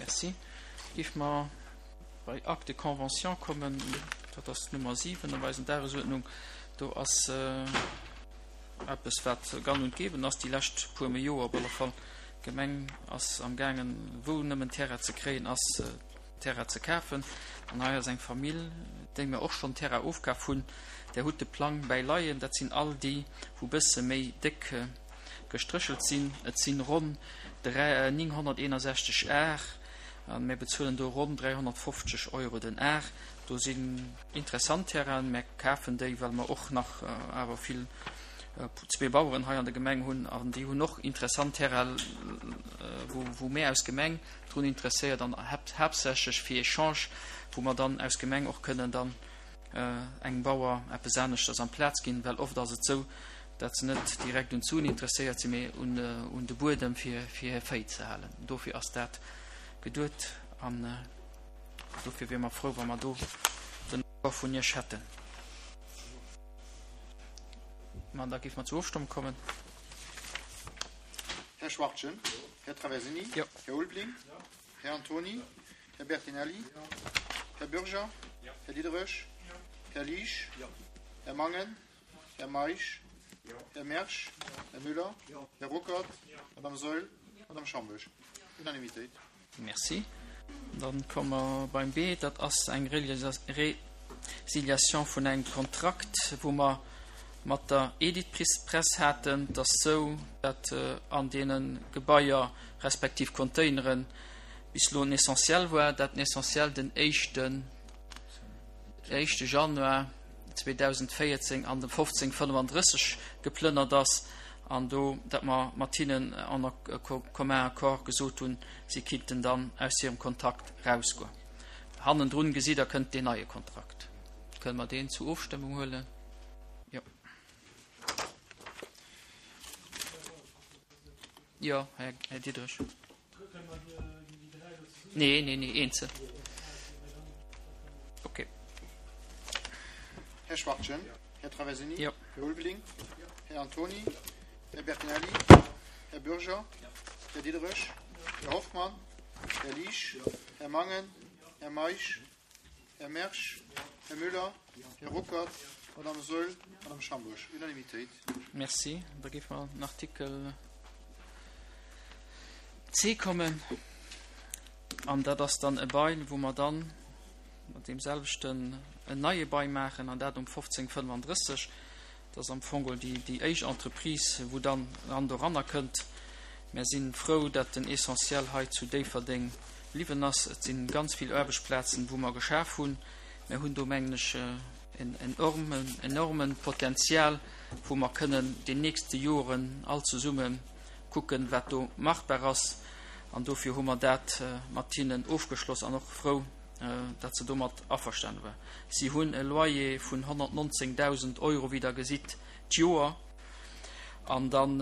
Merci. Géife mer bei Acte de convention kommen. Dat ass d'Nummer 7 op eisen Dagesuerdnung. Do ass eppes, wat gang und gäbe ass déi lescht puer méi Joer op alle Fall. D'Gemeng ass am gaangen, wou nëmmen Terrain ze kréien ass, Terrain ze kafen. An hei ass eng Famill, déi mir och schonn Terrain ofkaf hunn. Där hutt de Plang bäileien. Dat sinn all déi, wou bësse méi déck gestréchelt sinn. Et sinn ronn 961 Ar a mir bezuelen do ronn 350 Euro den Ar. Do sinn interessant Terrainen. Mir kafen déi, well mer och nach awer vill zwee Baueren hei an der Gemeng hunn an déi hunn och interessant Terrainen, wou mir aus Gemeng drun interesséiert an haaptsächlech fir Echange, wou mer dann aus Gemeng och kënnen dann engem Bauer eppes aneschters amplaz ginn, well oft ass et esou, datt se net direkt un d'Suen interesséiert sinn, mee un de Buedem fir hir Véi ze halen. Dofir ass dat geduet an dofir wiere mer frou, wa mer do den Accord vun Iech hätten. Ma da géife mer zur Ofstëmmung kommen. Här Schwachtgen, Här Traversini, Här Ulveling, Här Antony, Här Bertinelli, Här Bürger, Här Diderich, Här Liesch, Här Mangen, Här Meisch, Här Mersch, Här Müller, Här Ruckert, Madame Saeul, Madame Schambourg. Unanimitéit. Merci. Dann komme mer beim B. Dat ass eng Résiliation vun engem Kontrakt, wou mer mat der Editpress haten. Et ass esou, dat an deene Gebaier respektiv Containere bis elo en Essentiel war, dat den Essentiel den éischten éischte Januar 2014 an dem 1535 geplënnert ass an do, dat mer mat hinnen en commun accord gesot hunn, si kinnten dann aus hirem Kontakt rausgoen. Hannendrun gesitt Der, kënnt deen neie Kontrakt. Kënne mer deen zur Ofstëmmung huelen? Jo. Jo, Här Diderich. Nee, nee, nee, eenzel. Okay. Här Schwachtgen, Här Traversini, Jo. Här Ulveling, Här Antony, Här Bertinelli, Här Bürger, Här Diderich, Här Hoffmann, Här Liesch, Här Mangen, Här Meisch, Här Mersch, Här Müller, Här Ruckert, Madame Saeul, Madame Schambourg. Unanimitéit. Merci. Da géife mer den Artikel C kommen. An dat ass dann e Bail, wou mer dann mat deem selwechten en neie Bail maachen, an dat um 1535. Dat ass am Fong geholl déi, déi éischt Entreprise, wou dann ran doranner kënnt. Mär si frou, dat den Essentiel hei zu Déifferdeng bliwwen ass. Et si ganz vill Aarbechtsplazen, wou mer geschaf hunn. Mär hunn do, mengen ech, en enormen, enormen Potenzial, wou mer kënnen déi nächste Joren all zesumme kucken, wat do machbar ass. An dofir hu mer dat mat hinnen ofgeschloss an och frou, dat se domat averstane war. Si hunn e Loyer vun 119.000 Euro, wéi Der gesitt, d'Joer. An dann,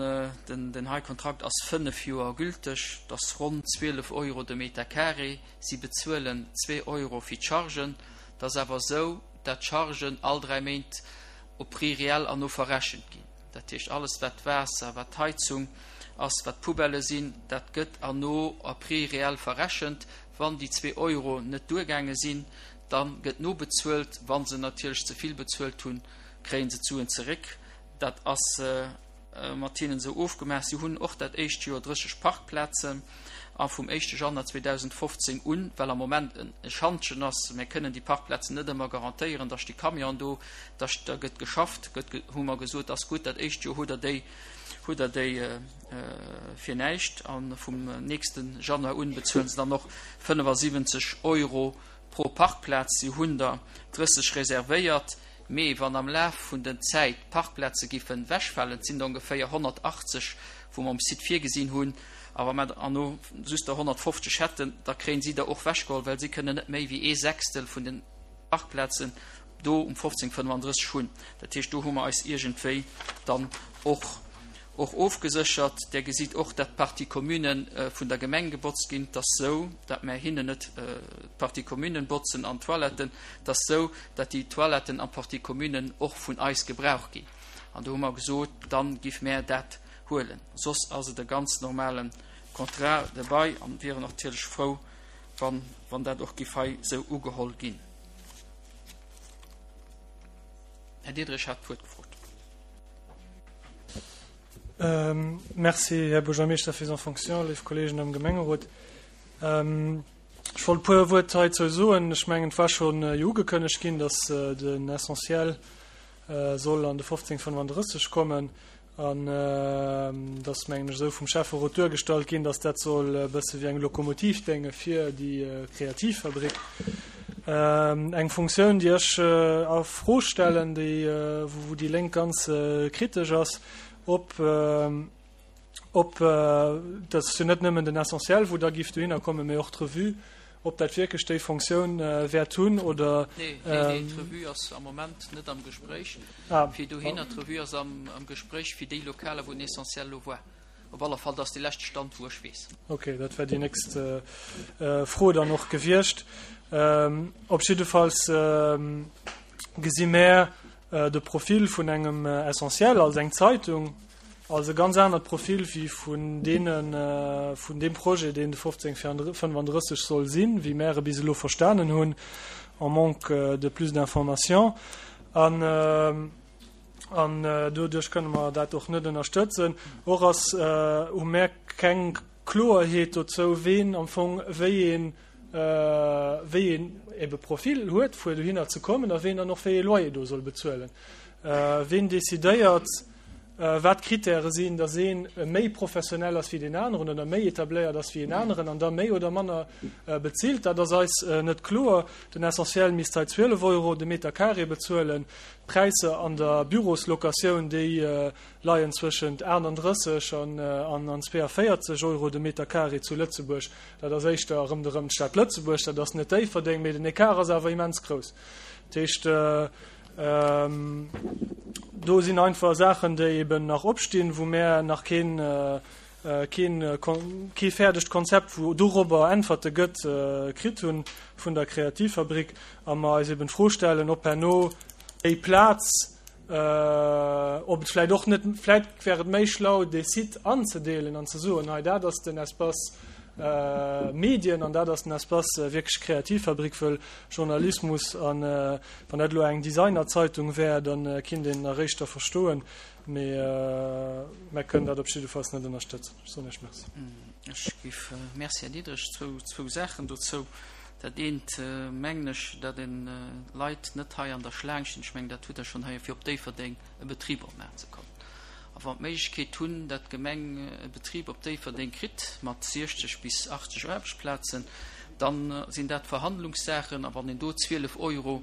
den, den hei Kontrakt ass fënnef Joer gülteg. Dat ass ronn 12 Euro de Meter carré. Si bezuelen zwee Euro fir d'Chargen. Dat ass awer esou, dat d'Chargen all dräi Méint au prix réel an no verrechent ginn. Dat heescht, alles wat Waasser, wat d'Heizung ass, wat d'Poubellë sinn, dat gëtt an no au prix réel verrechent. Wann déi zwee Euro net duergaange sinn, da gëtt nobezuelt. Wa se natierlech ze vill bezuelt hunn, kréie se d'Suen zeréck. Dat ass mat hinnen esou ofgemaach. Si hunn och dat éischt Joer 30 Parkplazen a vum éischte Januar 2015 un, well am Moment e Schantjen ass, mir kënnen déi Parkplazen net ëmmer garantéieren, da sti Camionen do, da da gëtt geschafft, gëtt, hu mer gesot, ass gutt, dat éischt Joer hutt Der déi, hutt Der déi fir näischt a vum nächste Januar un bezuelen se dann och 75 Euro pro Parkplaz. Si hunn der 30 reservéiert. Mee wann am Laf vun den Zäit Parkplaze giffen wechfalen, et sinn der ongeféier 180 wou mer um Site virgesinn hunn, a wa mer der no just der 150 hätten, da kréien si der och wechgeholl, well si kënnen net méi wéi ee Sechstel vun den Parkplazen do um 1535 hunn. Dat heescht, do hu mer eis iergendwéi dann och och ofgeséchert. Där gesitt och, dat d'Parties communes vun der Gemeng gebotzt ginn. Et ass sou, dat mär hinnen net d'Parties communes botzen an d'Toiletten. Et ass sou, dat déi Toiletten an d'Parties communes och vun eis gebraucht ginn. An do hu mer gesot, dann giff mär dat huelen. Soss ass et e ganz normale Contrat de bail an wieren natierlech frou. wann, wann dat och giff hei esou ugeholl ginn. Här Diderich hat d'Wuert gefrot. Merci, Här Buergermeeschter fils en fonction, léif Kolleegen am Gemengerot. Ech wollt e puer Wuert heizou soen. Ech mengen, et war schonn jo ugekënnegt ginn, datt den Essentiel soll an de 1535 kommen an datt, mengen ech, esou vum Schäfferot duergestallt ginn, datt dat soll e bësse wéi eng Lokomotiv dénge fir déi Kreativfabrik. Eng Funktioun, déi ech a Fro stellen, déi, wou déi Lénk ganz kritesch ass, ob, ob, dat ass jo net nëmmen den Essentiel, wou da giff dohinner kommen, mee och d'Revue, ob dat wierklech déi Fonctioun wäert hunn oder. Nee, nee, nee, d'Revue ass am Moment net am Gespréich fir dohinner. D'Revue ass am Gespréich fir déi Lokaler, wou den Essentiel elo war. Op alle Fall, dat ass dee leschte Stand, wou ech weess. Okay, dat wär déi nächst Fro dann och gewiescht. Op jiddefalls gesi mär de Profil vun engem Essentiel als eng Zeitung, als e ganz anert Profil wéi vun deene vun deem Projet, deen de 1535 soll sinn, wéi mär e bis elo verstanen hunn, en manque de plus d'informations. An an doduerch kënne mer dat och net ënnerstëtzen. Och ass hu mär keng Kloerheet dozou, ween am Fong wéi een wéi een ebe Profil huet, fir dohinner ze kommen a ween dann och wéi ee Loyer do soll bezuelen. Ween decidéiert, wat d'Kritäre sinn, datt ee méi professionell ass wéi deen aneren oder méi etabléiert ass wéi en aneren an da méi oder manner bezilt, dat ass eis net kloer. Den Essentiel misst hei 12 Euro de Meter carré bezuelen. D'Präisser an der Büroslocatioun, déi leien zwëschent 38 an 42 Euro de Meter carré zu Lëtzebuerg. Dat ass éischter ronderëm d'Stad Lëtzebuerg, dat ass net Déifferdeng, mee den Ecart ass awer immens grouss. Dat heescht, do sinn einfach Saachen, déi eben nach opstinn, wou mär nach keen, keen, kee fäerdegt Konzept, wou dorobber Äntwerte gëtt, kritt hunn vun der Kreativfabrik a mer eis eben d'Fro stellen, ob herno déi Plaz, ob et vläicht och net, vläicht wär et méi schlau, dee Site anzedeelen an ze soen, hei dat ass den Espace Medien an dat ass den Espace wierklech Kreativfabrik, wëll Journalismus an wann dat elo eng Designerzeitung wär, da kinnt een nach éischter verstoen, mee mär kënnen dat op jiddefalls net ënnerstëtzen. Ech soen Iech Merci. Ech géif, Merci Här Diderich, zwou Saachen dozou. Dat eent mengen ech, datt een Leit net hei an der Schlaang stinn, ech mengen dat hutt Der schonn héieren, fir op Déifferdeng e Betrib opmaachen ze kommen. A wa mer d'Méiglechkeet hunn, datt d'Gemeng e Betrib op Déifferdeng kritt mat 60 bis 80 Aarbechtsplazen, da sinn dat Verhandlungssaachen. A wann een do 12 Euro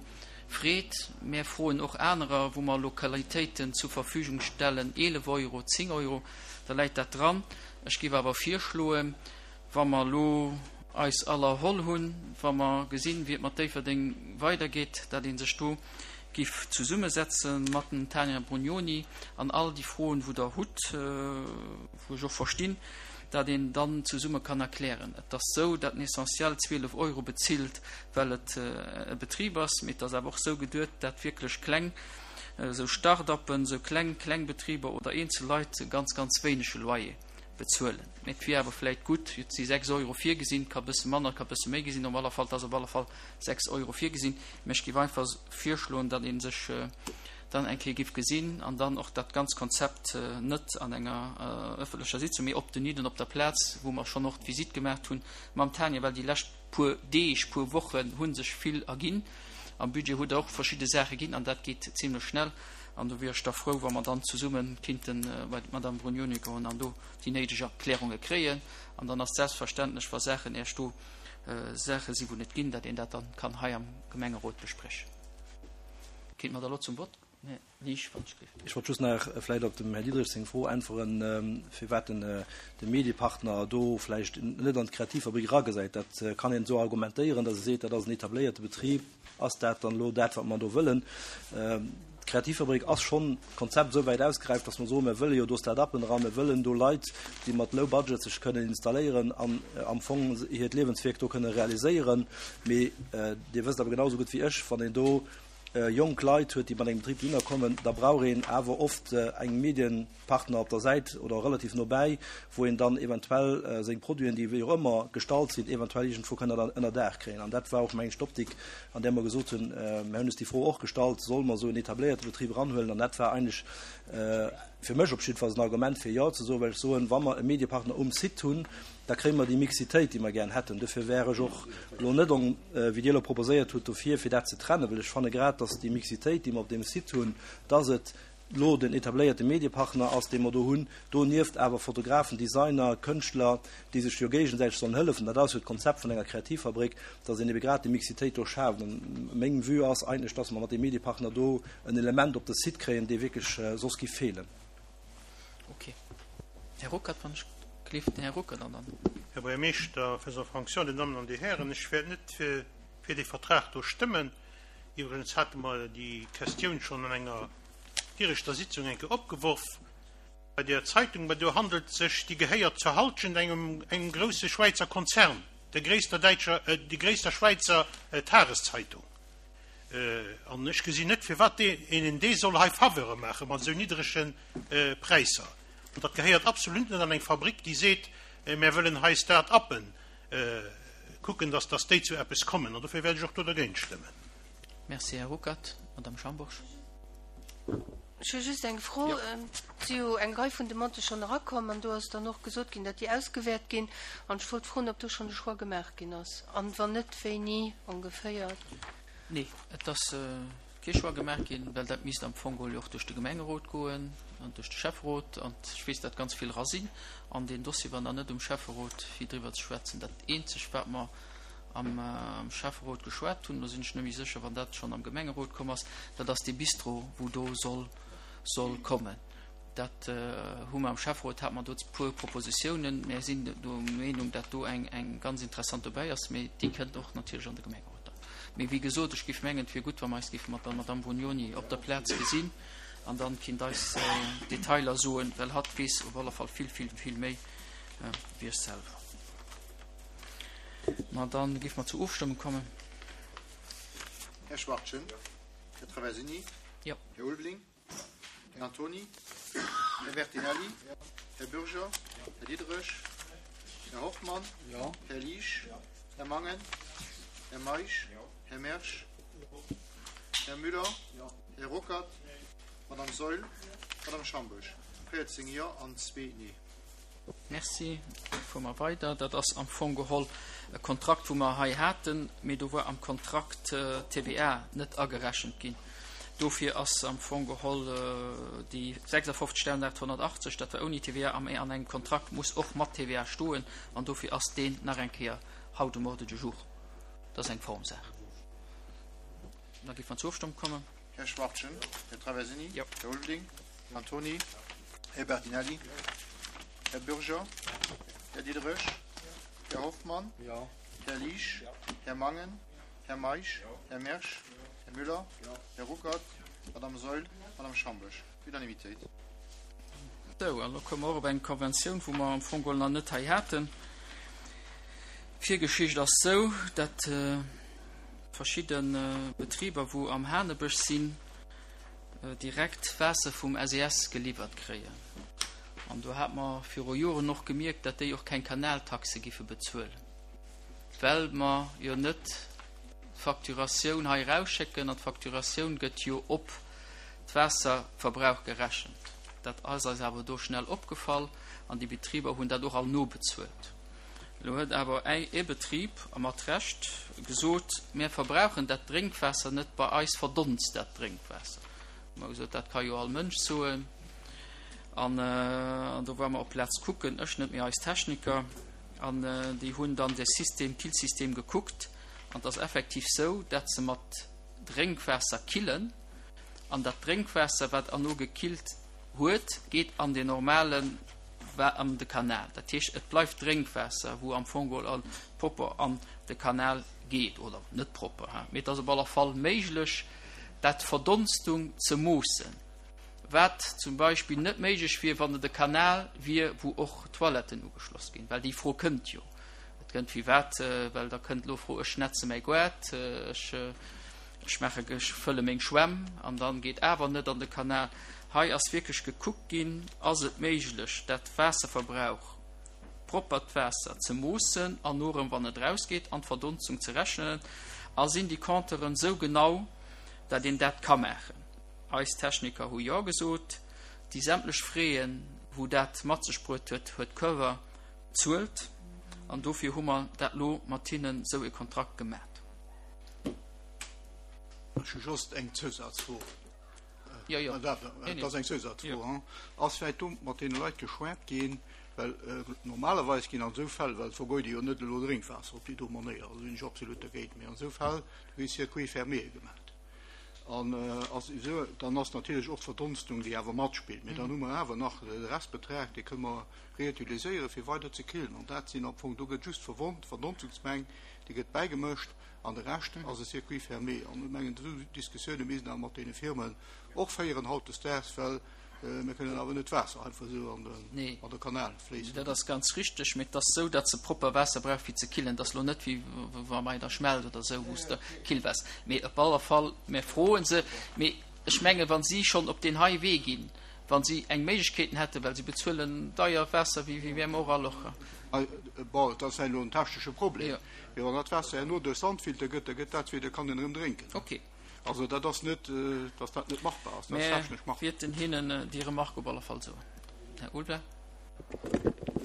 freet, mär froen och anerer, wou mer Lokalitéiten zur Verfügung stellen, 11 Euro, 10 Euro, da läit dat dran. Ech géif awer virschloen, Wa mer elo eis all erholl hunn, wa mer gesinn, wéi et mat Déifferdeng weidergeet, datt ee sech do giff zesummesetze mat dem Tania Brugnoni an all déi Froen, wou Der hutt, wou ech och verstinn, datt een dann zesumme kann erklären. Et ass esou, datt den Essentiel 12 Euro bezilt, well et e Betrib ass, mee et ass awer och esou geduet, datt wierklech kleng, esou Start-uppen, esou kleng, kleng Betriber oder eenzel Leit ganz, ganz wéinege Loyer bezuelen. Mee et wier awer vläit gutt, et si 6 Euro virgesinn, et ka bësse manner, et ka bësse méi gesinn, op alle Fall, et ass op alle Fall 6 Euro virgesinn. Mä ech géif einfach virschloen, datt ee sech dann eng Kéier géif gesinn an dann och dat ganz Konzept net an enger ëffentlecher Sitzung, mee op den Niden op der Plaz, wou mer schonn och d'Visitt gemaach hunn mam Tania, well déi lescht puer Deeg, puer Wochen hu sech vill erginn. Am Budget hutt Der och verschidde Saache ginn an dat geet zimlech schnell. An do wier ech da frou, wa mer dann zesumme kinnte bei d'Madame Brugnoni goen an do déi néideg Erklärunge kréien. An dann ass et selbstverständlech, wa Saachen Iech do Saache si wou net ginn, datt een dat dann kann hei am Gemengerot besprechen. Kéinte mer da elo zum Vott? Här Liesch, wann ech géif. Ech wollt just nach vläicht op dem Här Diderich seng Fro äntweren, firwat den de Mediepartner do vläicht net an d'Kreativfabrik eragesäit. Dat kann een esou argumentéieren, datt e seet, dat ass en etabléierte Betrib, Ass dat dann elo dat, wat mer do wëllen? D'Kreativfabrik ass schonn d'Konzept esou wäit ausgeräift, datt mer soen, mer wëlle jo do Start-uppen eran, mer wëllen do Leit, déi mat low budget sech kënnen installéieren an am Fong hiert Liewenswierk do kënne realiséieren. Mee Dir wësst awer genau esou gutt wéi ech, wann een do. jonk Leit huet, déi mat engem Betrib dohinner kommen, da brauch een awer oft eng Medienpartner op der Säit oder relativ no bäi, wou een dann eventuell seng Produiten, déi wéi och ëmmer gestallt sinn, eventuell iergendwou kënn ënner Daach kréien. An dat war och, mengen ech, d'Optik, an där mer gesot hunn, mir hunn eis déi Fro och gestallt, Solle mer esou en etabléierte Betrib eranhuelen? An dat war eigentlech fir mech op jiddefalls en Argument, fir Jo ze soen, well ech soen, wa mer e Mediepartner um Site hunn, Da kréie mer déi Mixitéit, déi mer gären hätten. Dofir wär ech och elo net, wéi Dir elo proposéiert hutt, dofir, fir dat ze trennen, well ech fanne grad, dass déi Mixitéit, déi mer op deem Site hunn, dass et elo den etabléierte Mediepartner ass, dee mer do hunn, donieft awer Fotografen, Designer, Kënschtler, déi sech jo géigesäiteg sollen hëllefen. Dat ass jo d'Konzept vun enger Kreativfabrik, dass een ebe grad déi Mixitéit do schaaft. An meng Vue ass eigentlech, dass mer mat deem Mediepartner do en Element op de Site kréien, dee wierklech soss giff feelen. Ok. Här Ruckert, wann ech gleeft, den Här Ruckert an dann. Här Buergermeeschter, faisant fonction, Dir Dammen an Dir Hären, ech wäert net fir dee Vertrag do stëmmen. Iwwregens hate mer déi Questioun schonn an enger viregter Sitzung eng Kéier opgeworf. Bei där Zeitung, mä do handelt et sech, déi gehéiert zur Halschent engem, engem grousse Schwäizer Konzern, der gréisster däitscher, der gréisster Schwäizer Tageszeitung. An ech gesinn net, firwat een dee soll hei Faveure maache mat esou niddrege Präisser. An dat gehéiert absolut net an eng Fabrik, déi seet, Mär wëllen hei Start-uppen kucken, dass dass déi zu eppes kommen. An dofir wäert ech och do dergéint stëmmen. Merci, Här Ruckert. Madame Schambourg. Ech hu just eng Fro. Et si jo eng Rei vun Demandë schonn erakomm an do ass dann och gesot ginn, datt déi ausgewäert ginn. An ech wollt froen, ob do schonn e Choix gemaach ginn ass. An wann net, wéini ongeféier? Nee, et ass kee Choix gemaach ginn, well dat misst am Fong geholl jo och duerch de Gemengerot goen an duerch de Schäfferot. An ech weess, datt ganz vill era sinn an deen Dossier war nach net um Schäfferot, fir driwwer ze schwätzen. Dat eenzegt, wat mer am Schäfferot geschwat hunn, do sinn ech net méi sécher, wann dat schonn am Gemengerot komm ass, dat ass dee Bistro, wou do soll, soll kommen. Dat hu mer am Schäfferot, hate mer do e puer Propositiounen. Mir sinn der Meenung, dat do eng, eng ganz interessant dobäi ass, mee déi kënnt och natierlech an de Gemengerot dann. Mee wéi gesot, ech géif mengen, et wier gutt, wa mer eis géife mat der Madamm Brugnoni op der Plaz gesinn an dann kinnt eis Detailer soen, well hatt weess op alle Fall vill, vill, vill méi wéi ech selwer. Ma dann géife mer zur Ofstëmmung kommen. Här Schwachtgen? Här Traversini? Jo. Här Ulveling? Här Antoni? Här Bertinelli? Här Bürger? Här Diderich? Här Hoffmann? Jo. Här Liesch? Här Mangen? Här Meisch? Här Mersch? Här Müller? Här Ruckert? Madame Saeul? Madame Schambourg? 14 Jo an zwee Nee. Merci. Da fuere mer weider. Dat ass am Fong geholl e Kontrakt, wou mer hei haten, mee do war am Kontrakt d'TVA net agerechent ginn. Dofir ass am Fong geholl déi 56.880, dat war ouni TVA, a mee an engem Kontrakt muss och mat TVA stoen an dofir ass deen nach eng Kéier haut um Ordre du jour. Dat ass eng Formsaach. Da géife mer zur Ofstëmmung kommen. Här Schwachtgen, Här Traversini, Här Ulveling, Här Antoni, Här Bertinelli, Här Bürger, Här Diderich, Här Hoffmann, Här Liesch, Här Mangen, Här Meisch, Här Mersch, Här Müller, Här Ruckert, Madame Saeul, Madame Schambourg. Unanimitéit. Sou, an elo komme mer och op eng Konventioun, wou mer am Fong geholl nach net hei haten. D'Virgeschicht ass sou, dat verschidde Betriber, wou am Hanebësch sinn, direkt Waasser vum SES geliwwert kréien. An do hat mer viru Joren och gemierkt, dat déi och keng Kanaltaxe giffe bezuelen, well mer jo net d'Facturatioun hei erausschécken an d'Facturatioun gëtt jo op d'Waasserverbrauch gerechent. Dat ass eis awer do schnell opgefall an déi Betriber hunn dat och all nobezuelt. Elo huet awer ee Betrib, a mat Recht, gesot, Mir verbrauchen dat Drénkwaasser net, bei eis verdonst dat Drénkwaasser. Hu mer gesot, dat ka jo all Mënsch soen. An do ware mer op d'Plaz kucken, ech net, mee eis Techniker, an déi hunn dann de System, Killsystem gekuckt. An et ass effektiv sou, dat se mat Drénkwaasser killen an dat Drénkwaasser, wat erno gekillt huet, geet an den normalen an de Kanal. Dat heescht, et bleift Drénkwaasser, wou am Fong geholl all propper an de Kanal geet, oder net propper, hein, mee et ass op aller Fall méiglech, dat Verdonstung ze moossen, wat zum Beispill net méiglech wier, wann et e Kanal wier, wou och Toiletten ugeschloss ginn, well déi Fro kënnt jo. Et kënnt firwat, well da kënnt elo Fro, ech netze mäi Goart, ech. Ech maache, ech fëlle meng Schwämm an dann geet awer net an de Kanal. Hei ass wierklech gekuckt ginn, ass et méiglech dat Waasserverbrauch, proppert Waasser ze moossen an no erëm wann et erausgeet an d'Verdonstung ze rechnen a sinn déi Compteuren esou genau, dat een dat ka maachen. Eis Techniker hu Jo gesot. Déi sämtlech Fräen, wou dat mat sech bruet huet, huet Cover bezuelt an dofir hu mer dat lo mat hinnen esou e Kontrakt gemat. Ech hu just eng Zousazfro. Jo, jo. Et ass eng Zousazfro. Ass vläicht do mat deene Leit geschwat ginn, well normalerweis ginn an esou Fäll, well vergeude jo net elo Drénkwaasser op déi do Manéier, do sinn ech absolut dergéint, mee an esou Fäll, do gi Circuits fermés gemat. An ass esou, dann ass natierlech och d'Verdonstung, déi awer matspillt. Mee dann hu mer awer nach de Restbetrag, dee kënne mer reutiliséieren, fir weider ze killen. An dat sinn am Fong, do gëtt just verwonnt, d'Verdonstungsmeng, déi gëtt bäigemëscht an de Rescht ass e Circuit fermé. An ech mengen, esou Diskussioune misst een awer mat deene Firmen och féieren hautdesdaags, well Mir kënnen awer net d'Waasser einfach esou an de Kanal fléissen. Dat ass ganz richteg, mee et ass esou, datt se propper Waasser brauch fir ze killen. Et ass elo net wéi wa bei der Schmelz oder esou, wou s de Killwaasser. Mee op alle Fall, mir froe se. Mee ech mengen, wa si schonn op deen hei Wee ginn, wa si eng Méiglechkeeten hätten, well si bezuelen deier Waasser wéi mir och all och. Bon, et ass elo en technesche Problem, mee wann dat Waasser herno duerch Sandfilter gëtt, da gëtt dat wieder, kann een erëm drénken. Okay. Also dat ass net, datt dat net machbar ass, dat ass technesch machbar. Mä wäerten hinnen déi Remarque op alle Fall soen. Här Ulbert.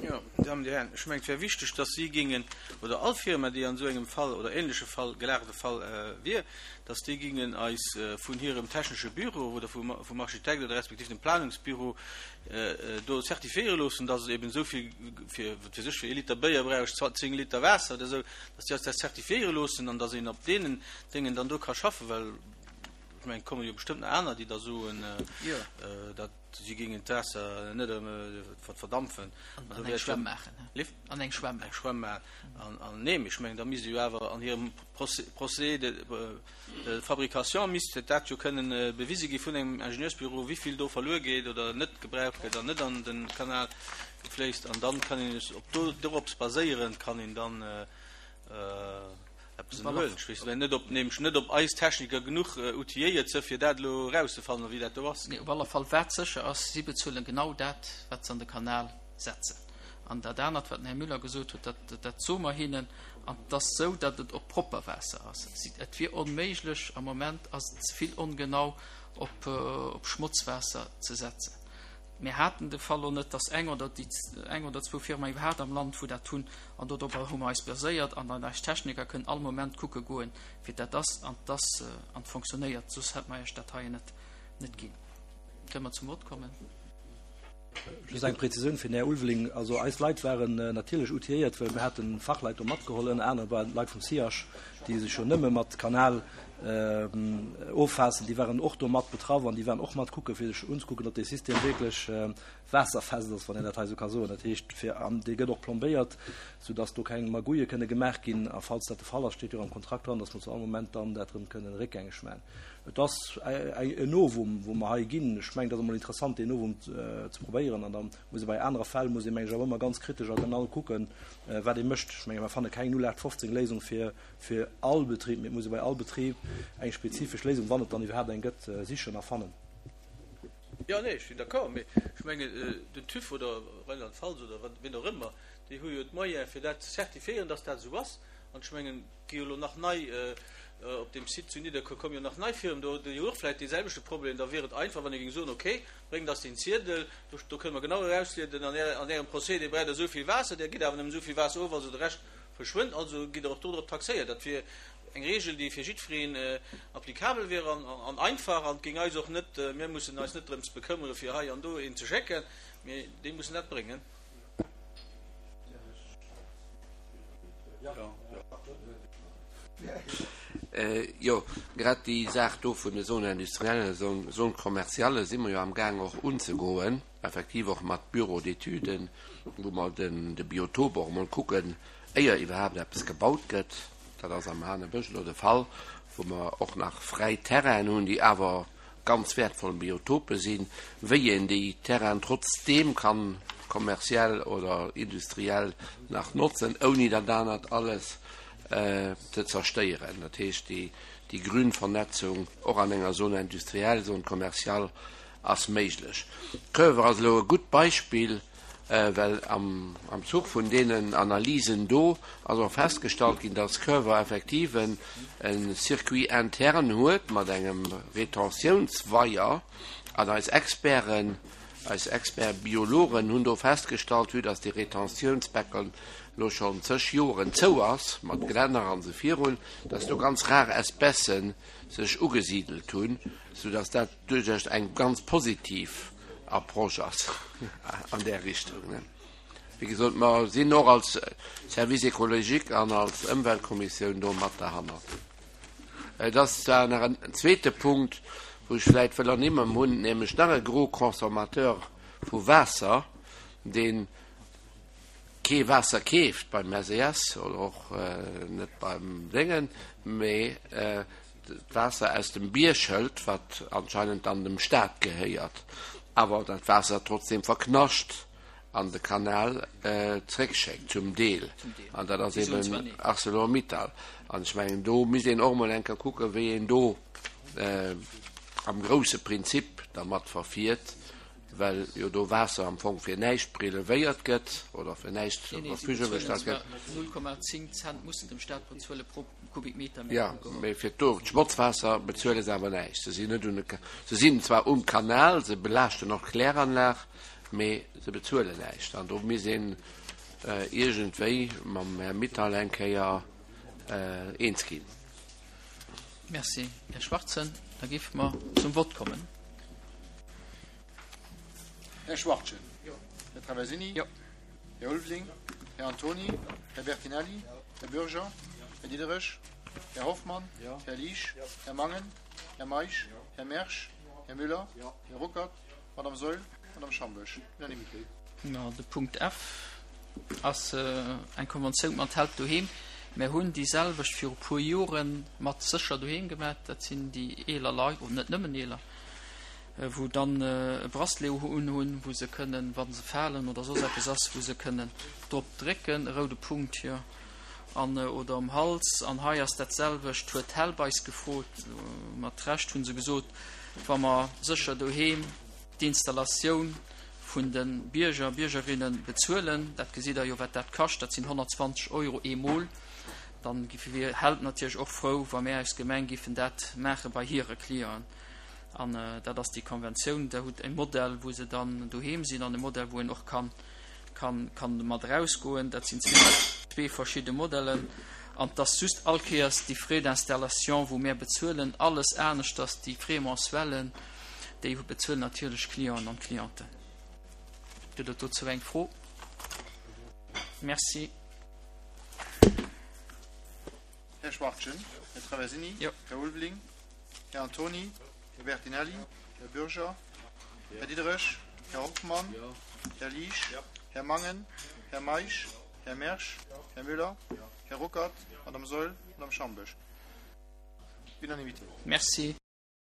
Jo, Damen Dir Hären, ech mengen, et wär wichteg, datt si géingen, oder all Firma, déi an esou engem Fall oder ähnleche Fall, gelagerte Fall wier, datt déi géingen eis vun hirem technesche Büro oder vum Architekt oder respektiv dem Planungsbüro do zertifiéiere loossen, datt et eben esou vill, fir, wat weess ech, fir ee Liter Béier brauch ech 10 Liter Waasser oder esou, datt déi eis dat zertifiéiere loossen an datt een op deenen Déngen dann do ka schaffen, well ech mengen, et komme jo bestëmmt nach aner, déi da soen, datt si géingen d'Waasser net verdampfen. An eng Schwämm maachen. Lift? An eng Schwämm. Eng Schwämm maachen. An nee, mee ech mengen, da misst ee jo awer an hirem Procédé de fabrication misst dat jo kënnen bewise gi vun engem Ingenieursbüro, wéi vill do verluer geet oder net gebraucht gëtt an net an de Kanal fléisst. An dann kann een op dorops baséierend kann een dann Eppes ënnerhuelen. Ech weess net, ob nämlech net ob eis Techniker genuch outilléiert sënn, fir dat elo erauszefannen, wéi dat do ass. Nee, op alle Fall, wat sécher ass, si bezuelen genau dat, wat se an de Kanal setzen. An dat anert, wat den Här Müller gesot huet, dat, dat soe mer hinnen. An et ass esou, datt et op propper Waasser ass. Si, et wier onméiglech, am Moment ass et ze vill ongenau, op, op Schmotzwaasser ze setzen. Mir haten de Fall lo net, dass eng oder déi eng oder zwou Firma iwwerhaapt am Land, wou dat hunn, an dodropper hu mer eis baséiert an dann eis Techniker kënnen all Moment kucke goen, wéi dat ass an et ass an et fonctionnéiert, soss hätt mer Iech dat hei net net ginn. Kënne mer zum Vott kommen? Just eng Präzisioun fir den Här Ulveling, Also eis Leit waren natierlech outilléiert, well mir hate Fachleit do matgeholl, ënner anerem waren et Leit vum SIAS, déi sech jo nëmme mat Kanal Ofwaassen, déi waren och do mat betraff an déi waren och mat kucken, fir sech unzekucken, ob dee System wierklech waasserfest ass, wann een dat hei esou ka soen. Dat heescht, fir, an dee gëtt och plombéiert, soudass do keng Magouillë kënne gemaach ginn. A falls dat de Fall ass, steet jo am Kontrakt dran, dass mer zu all Moment dann dat erëm kënnen réckgängeg maachen. Et ass en Novum, wou mer hei ginn. Ech mengen, et ass emol interessant, deen Novum ze probéieren. An da muss ee bei anere Fäll, muss ee, meng ech, awer ëmmer ganz kritesch a genau kucken, wat ee mécht. Ech menge mer fanne keng 0815-Léisung fir Fir all Betrib, mee et muss ee bei all Betrib eng spezifesch Léisung, wann et dann iwwerhaapt eng gëtt, sichen a fannen. Jo, nee, ech sinn d'accord, mee ech mengen, den TÜV oder Rheinland-Pfalz oder wien och ëmmer, déi hu jo d'Moyene fir dat ze zertifiéieren, dass dat esou ass. An ech mengen, et gi jo elo nach nei, op deem Site zu Nidderkuer komme jo nach nei Firmen, do déi hu och vläicht deeselwechte Problem. Da wier et einfach, wann ee géing soen, okay, bréngt eis deen Ziedel, do, do kënne mer genau erauslieden, an Ärem Procédé braucht Der esou vill Waasser, Dir gitt awer nëmmen esou vill Waasser of, also de Rescht Verschwënnt, also gitt Der och dodrop taxéiert. Dat wier eng Regel, déi fir jiddwereen applicabel wier an einfach an et géing eis och net, mir mussen eis net drëms bekëmmere fir hei an do een ze schécken, mee déi mussen dat bréngen. Jo, grad déi Saach do vun de Zones industrielles, Zones commerciales si mer jo amgaang och unzegoen. effektiv och mat Bureaux d'études, wou mer den de Biotop och emol kucken, éier iwwerhaapt eppes gebaut gëtt. Dat ass am Hanebësch elo de Fall, wou mer och nach fräi Terrainen hunn, déi awer ganz wäertvoll Biotope sinn, wéi een déi Terrainen trotzdeem kann kommerziell oder industriell nach notzen, ouni dat anert alles. ze zerstéieren. Dat heescht, déi Grünvernetzung och an enger Zone industrielle, Zone commerciale ass méiglech. Coeuvres ass elo e gutt Beispill, well am Zuch vun deenen Analysen do ass och festgestallt ginn, dass Coeuvres effektiv e Circuit interne huet mat engem Retentiounsweier an eis Experten, Eis Expert-Biologen hunn do festgestallt, vue dass dee Retentiounsbecken elo schonn zeg Joren zou ass, mat Glänner an esou virun, dass do ganz rar Espècen sech ugesidelt hunn, soudass dat duerchaus eng ganz positiv Approche ass an där Richtung. Wéi gesot, mer sinn och als Service écologique an als Ëmweltkommissioun do mat derhannert. Et ass zwar nach en zweete Punkt, wou ech vläicht wëll ernimmen. Mer hunn nämlech nach e gros Consommateur vu Waasser, dee kee Waasser keeft beim SES oder och net beim Déngen, mee d'Waasser aus dem Bierg hëlt, wat anscheinend dann dem Stat gehéiert, awer dat Waasser trotzdem verknascht. an de Kanal zréckschéckt, zum Deel, an dat ass eben Arcelor-Mittal. An ech mengen, do misst een och emol eng Kéier kucken, wéi een do am grouse Prinzip dermat verfiert, well jo do Waasser am Fong fir näischt prelevéiert gëtt oder fir näischt zur Verfügung gestallt gëtt. 0,10 Cent mussen dem Staat bezuele pro Kubikmeter. Jo, mee fir d'Schmotzwaasser bezuele se awer näischt. Se sinn net un de, se sinn zwar um Kanal, se belaaschten och d'Kläranlag, Mee se bezuelen näischt. An do misst een iergendwéi mam Här Mittal eng Kéier eens ginn. Merci, Här Schwarzen. Da géife mer zum Vott kommen. Här Schwartgen. Jo. Här Traversini. Jo. Här Ulveling. Här Antoni. Här Bertinelli. Här Bürger. Här Diderich. Här Hoffmann. Här Liesch. Här Mangen. Här Meisch. Här Mersch. Här Müller. Här Ruckert. Madame Saeul, Madame Schamboesch, Unanimité. Jo, de Punkt F ass eng Konventioun mat Help Doheem. Mär hunn déi selwecht viru puer Jore mat Sécher Doheem gemaach. Dat sinn déi eeler Leit, oder net nëmmen eeler, wou dann e Bracelet unhunn, wou se kënnen, wa se falen oder soss eppes ass, wou se kënnen drop drécken, e roude Punkt, jo, an oder um Hals. An hei ass dat selwecht, huet Help eis gefrot, mat Recht hu se gesot, Wa mer sécher doheem d'Installatioun vun de Bierger, Biergerinne bezuelen, dat gesitt Der jo wat dat kascht, dat sinn 120 Euro eemol, dann wier Help natierlech och frou, wa mär als Gemeng giffen dat maache bei hire Clienten. An dat ass déi Konventioun. Der hutt e Modell, wou se dann doheem sinn an e Modell, wou een och kann kann kann mat erausgoen. Dat sinn zwee verschidde Modellen. An 't ass just all Kéiers déi Frais d'installation, wou mär bezuelen. Alles aneschters, déi Frais mensuellen, déi bezuelen natierlech d'Clienten an d'Clienten. Gëtt et dozou eng Fro? Merci. Här Schwartgen, Här Traversini, Här Ulveling, Här Antoni, Här Bertinelli, Här Bürger, Här Diderich, Här Hoffmann, Här Liesch, Här Mangen, Här Meisch, Här Mersch, Här Müller, Här Ruckert, Madame Saeul, Madame Schamboesch. Unanimité. Merci.